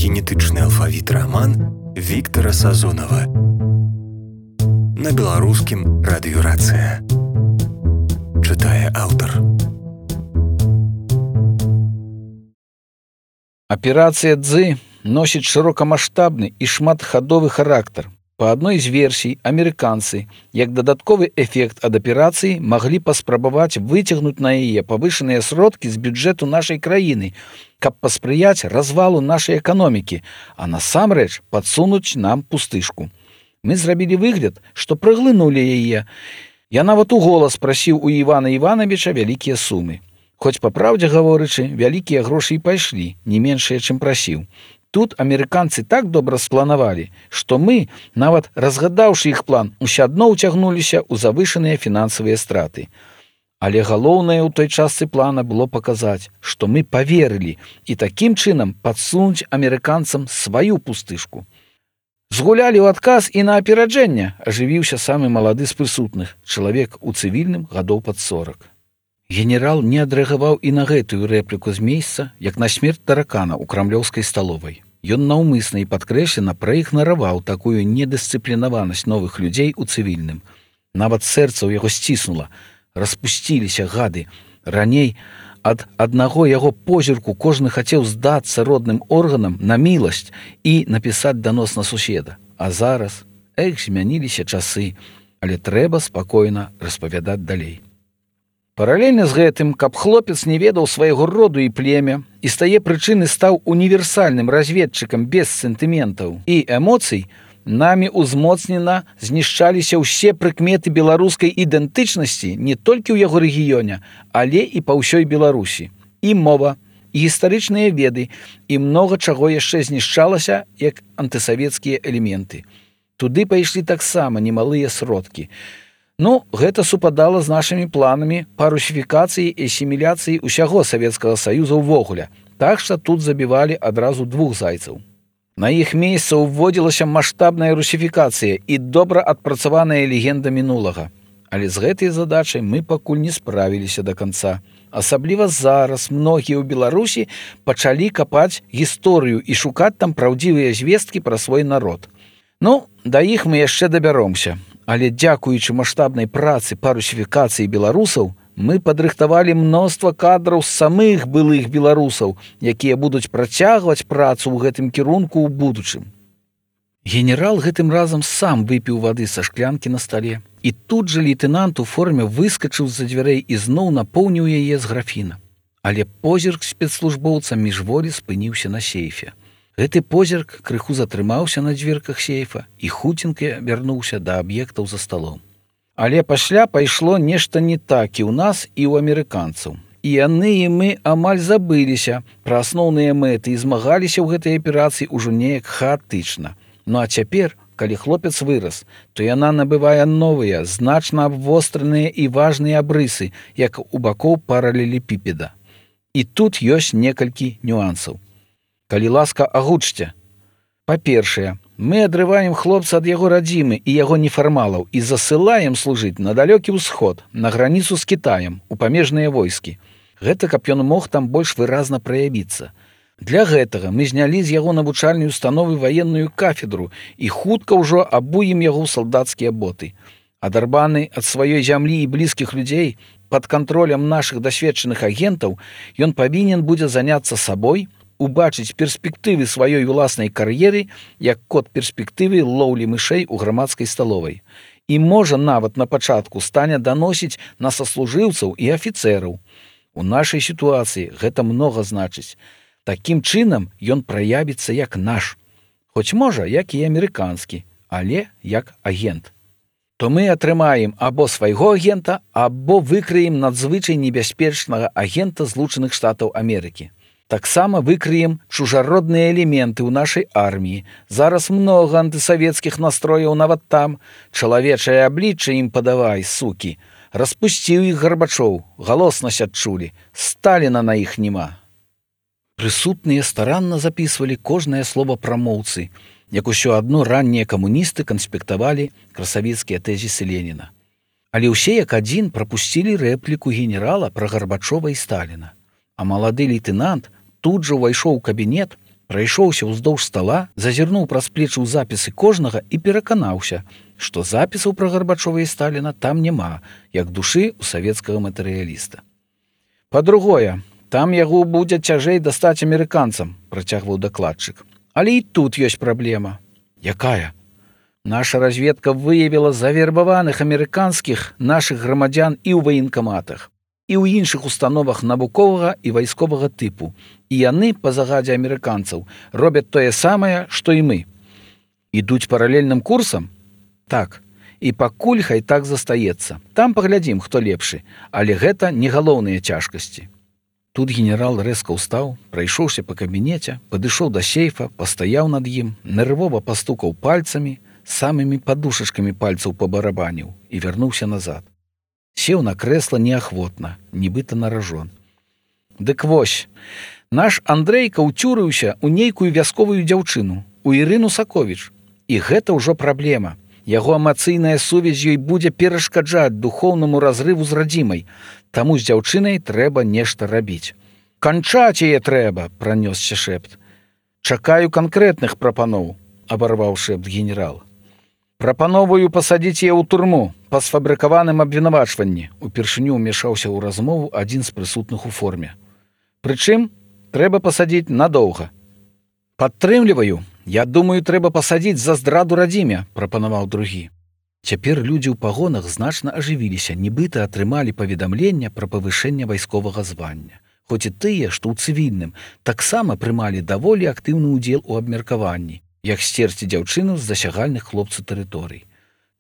генетычны алфавіт раман Віктара Сазонава. На беларускім радыёрацыя. Чытае аўтар. Аперацыя «Дзы» носіць шырокамаштабны і шматхадовы характар. Па адной з версій, амерыканцы, як дадатковы эфект ад аперацыі, маглі паспрабаваць выцягнуць на яе павышаныя сродкі з бюджэту нашай краіны, каб паспрыяць развалу нашай эканомікі, а насамрэч падсунуць нам пустышку. Мы зрабілі выгляд, што праглынулі яе. Я нават у голас прасіў у Івана Івановича вялікія сумы. Хоць, па праўдзе гаворычы, вялікія грошы і пайшлі, не меншыя, чым прасіў. Тут амерыканцы так добра спланавалі, што мы, нават разгадаўшы іх план, усё адно ўцягнуліся ў завышаныя фінансавыя страты. Але галоўнае ў той частцы плана было паказаць, што мы паверылі і такім чынам падсунуць амерыканцам сваю пустышку. Згулялі ў адказ і на апераджэнне, ажывіўся самы малады з прысутных, чалавек у цывільным гадоў пад 40. Генерал не адрэагаваў і на гэтую рэпліку з месца, як на смерць таракана ў крамлёўскай сталовай. Ён наўмысна і падкрэслена праігнараваў такую недысцыплінаванасць новых людзей у цывільным. Нават сэрца ў яго сціснула. Распусціліся гады. Раней ад аднаго яго позірку кожны хацеў здацца родным органам на міласць і напісаць данос на суседа. А зараз, змяніліся часы, але трэба спакойна распавядаць далей. Паралельна з гэтым, каб хлопец не ведаў свайго роду і племя і з тае прычыны стаў універсальным разведчыкам без сентыментаў і эмоцый, намі узмоцнена знішчаліся ўсе прыкметы беларускай ідэнтычнасці не толькі ў яго рэгіёне, але і па ўсёй Беларусі. І мова, і гістарычныя веды, і многа чаго яшчэ знішчалася, як антысавецкія элементы. Туды пайшлі таксама немалыя сродкі. Гэта супадала з нашымі планамі па русіфікацыі і асіміляцыі ўсяго Савецкага Саюза ўвогуле, так што тут забівалі адразу 2 зайцаў. На іх месца ўводзілася маштабная русіфікацыя і добра адпрацаваная легенда мінулага. Але з гэтай задачай мы пакуль не справіліся да канца. Асабліва зараз многія ў Беларусі пачалі капаць гісторыю і шукаць там праўдзівыя звесткі пра свой народ. Да іх мы яшчэ дабяромся. Але дзякуючы маштабнай працы па русіфікацыі беларусаў, мы падрыхтавалі мноства кадраў з самых былых беларусаў, якія будуць працягваць працу ў гэтым кірунку ў будучым. Генерал гэтым разам сам выпіў вады са шклянкі на стале, і тут жа лейтэнант у форме выскачыў з-за дзвярэй і зноў напоўніў яе з графіна. Але позірк спецслужбоўца міжволі спыніўся на сейфе. Гэты позірк крыху затрымаўся на дзверках сейфа і хуценька вярнуўся да аб'ектаў за сталом. Але пасля пайшло нешта не так і ў нас, і ў амерыканцаў. І яны і мы амаль забыліся пра асноўныя мэты і змагаліся ў гэтай аперацыі ўжо неяк хаатычна. А цяпер, калі хлопец вырас, то яна набывае новыя, значна абвостраныя і важныя абрысы, як у бакоў паралелепіпеда. І тут ёсць некалькі нюансаў. Калі ласка, агучце. Па-першае, мы адрываем хлопца ад яго радзімы і яго нефармалаў і засылаем служыць на далёкі ўсход, на граніцу з Кітаем, у памежныя войскі. Гэта каб ён мог там больш выразна праявіцца. Для гэтага мы знялі з яго навучальнай установы ваенную кафедру і хутка ўжо абуем яго ў салдацкія боты. Адарбаны ад сваёй зямлі і блізкіх людзей, пад кантролем нашых дасведчаных агентаў, ён павінен будзе заняцца сабой, убачыць перспектывы сваёй уласнай кар'еры, як код перспектывы лоўлі мышэй у грамадскай сталовай. І можа нават на пачатку стане даносіць на саслужыўцаў і афіцэраў. У нашай сітуацыі гэта многа значыць. Такім чынам ён праявіцца як наш. Хоць можа, як і амерыканскі, але як агент. То мы атрымаем або свайго агента, або выкрыем надзвычай небяспечнага агента Злучаных Штатаў Амерыкі. Таксама выкрыем чужародныя элементы ў нашай арміі. Зараз многа антысавецкіх настрояў нават там. Чалавечае аблічча ім падавай, сукі. Распусціў іх Гарбачоў, галоснасць адчулі. Сталіна на іх няма. Прысутныя старанна запісвалі кожнае слова прамоўцы, як усё адно раннія камуністы канспектавалі красавіцкія тэзісы Леніна. Але ўсе як адзін прапусцілі рэпліку генерала пра Гарбачова і Сталіна. А малады лейтэнант тут жа ўвайшоў у кабінет, Прайшоўся ўздоўж стала, зазірнуў праз плечы ў запісы кожнага і пераканаўся, што запісаў пра Гарбачова і Сталіна там няма, як душы ў савецкага матэрыяліста. Па-другое, там яго будзе цяжэй дастаць амерыканцам, працягваў дакладчык. Але і тут ёсць праблема. Якая? Наша разведка выявіла завербаваных амерыканскіх нашых грамадзян і ў ваенкаматах, і ў іншых установах навуковага і вайсковага тыпу. І яны, па загадзе амерыканцаў, робяць тое самае, што і мы. Ідуць паралельным курсам? Так. І пакуль хай так застаецца. Там паглядзім, хто лепшы, але гэта не галоўныя цяжкасці. Тут генерал рэзка ўстаў, прайшоўся па кабінеце, падышоў да сейфа, пастаяў над ім, нервова пастукаў пальцамі, самымі падушачкамі пальцаў пабарабаніў і вярнуўся назад. Сеў на крэсла неахвотна, нібыта наражон. Дык вось, наш Андрейка ўцюрыўся ў нейкую вясковую дзяўчыну, у Ірыну Саковіч. І гэта ўжо праблема. Яго эмацыйная сувязь ёй будзе перашкаджаць духоўнаму разрыву з радзімай. Таму з дзяўчынай трэба нешта рабіць. «Канчаць яе трэба!» – пранёсся шэпт. «Чакаю канкрэтных прапаноў», – абарваў шэпт генерал. «Прапановую пасадзіць яе ў турму па сфабрыкаваным абвінавачванні», – упершыню ўмяшаўся ў размову адзін з прысутных у форме. «Прычым, трэба пасадзіць надоўга». «Падтрымліваю. Я думаю, трэба пасадзіць за здраду радзіме», – прапанаваў другі. Цяпер людзі ў пагонах значна ажывіліся, нібыта атрымалі паведамленне пра павышэнне вайсковага звання. Хоць і тыя, што ў цывільным, таксама прымалі даволі актыўны ўдзел у абмеркаванні, як сцерці дзяўчыну з засягальных хлопцу тэрыторый.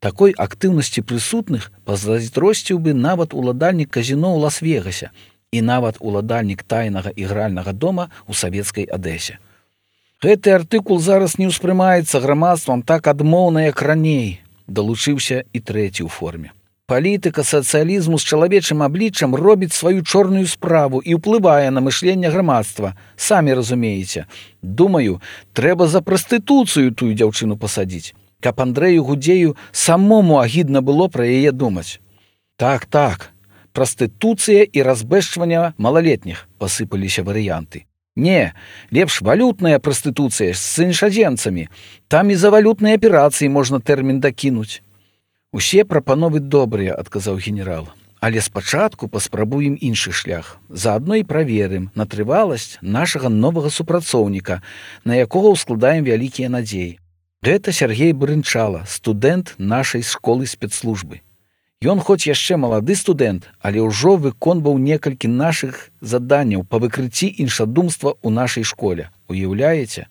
Такой актыўнасці прысутных пазайздросціў бы нават уладальнік казіно ў Лас-Вегасе і нават уладальнік тайнага ігральнага дома ў савецкай Адэсе. Гэты артыкул зараз не ўспрымаецца грамадствам так адмоўна, як раней, далучыўся і трэці ў форме. Палітыка сацыялізму з чалавечым абліччам робіць сваю чорную справу і ўплывае на мышленне грамадства. Самі разумееце. Думаю, трэба за прастытуцыю тую дзяўчыну пасадзіць, каб Андрэю Гудзею самому агідна было пра яе думаць. Так, прастытуцыя і разбэшчванне малалетніх, пасыпаліся варыянты. Не, лепш валютная прастытуцыя з іншаземцамі. Там і за валютныя аперацыі можна тэрмін дакінуць. «Усе прапановы добрыя», – адказаў генерал. «Але спачатку паспрабуем іншы шлях. Заадно і праверым на трываласць нашага новага супрацоўніка, на якога ўскладаем вялікія надзеі. Гэта Сергей Брынчала, студэнт нашай школы спецслужбы. Ён хоць яшчэ малады студэнт, але ўжо выконваў некалькі нашых заданняў па выкрыцці іншадумства ў нашай школе. Уяўляеце?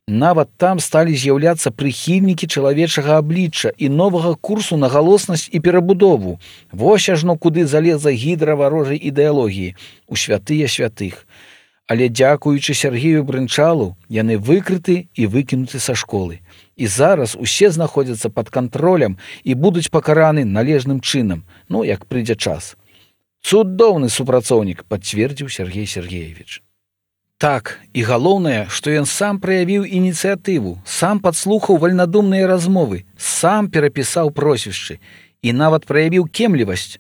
Нават там сталі з'яўляцца прыхільнікі чалавечага аблічча і новага курсу на галоснасць і перабудову. Вось ажно куды залезла гідра варожай ідэалогіі, у святыя святых. Але дзякуючы Сергею Брынчалу, яны выкрыты і выкінуты са школы. І зараз усе знаходзяцца пад кантролем і будуць пакараны належным чынам, як прыйдзе час. Цудоўны супрацоўнік, пацвердзіў Сергей Сергеевич. Так, і галоўнае, што ён сам праявіў ініцыятыву, сам падслухаў вальнадумныя размовы, сам перапісаў прозвішчы і нават праявіў кемлівасць,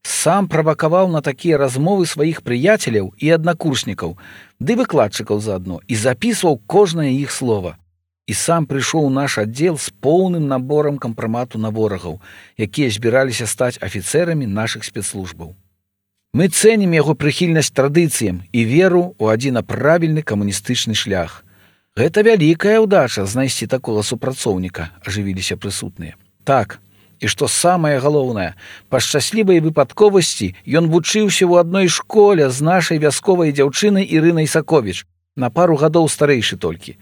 сам правакаваў на такія размовы сваіх прыяцеляў і аднакурснікаў, ды выкладчыкаў заадно, і запісваў кожнае іх слова. І сам прыйшоў у наш аддзел з поўным наборам кампрамату на ворагаў, якія збіраліся стаць афіцэрамі нашых спецслужбаў. Мы цэнім яго прыхільнасць традыцыям і веру ў адзіна правільны камуністычны шлях. Гэта вялікая ўдача знайсці такога супрацоўніка, ажывіліся прысутныя. Так, і што самае галоўнае, па шчаслівай выпадковасці ён вучыўся ў адной школе з нашай вясковай дзяўчынай Ірынай Саковіч, на пару гадоў старэйшы толькі.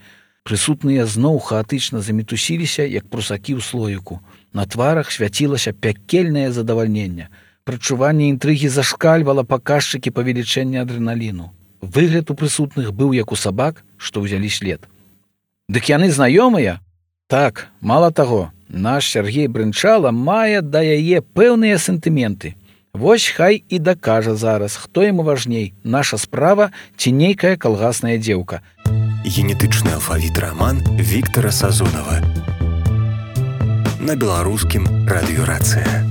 Прысутныя зноў хаатычна замітусіліся, як прусакі ў слоіку. На тварах свяцілася пякельнае задавальненне. Прачуванне інтрыгі зашкальвала паказчыкі павелічэння адрэналіну. Выгляд у прысутных быў як у сабак, што ўзялі след. Дык яны знаёмыя? Так, мала таго, наш Сергей Брынчала мае да яе пэўныя сентыменты. Вось хай і дакажа зараз, хто яму важней, наша справа ці нейкая калгасная дзеўка. Генетычны алфавіт раман Віктара Сазонава. На беларускім радыёрацыя.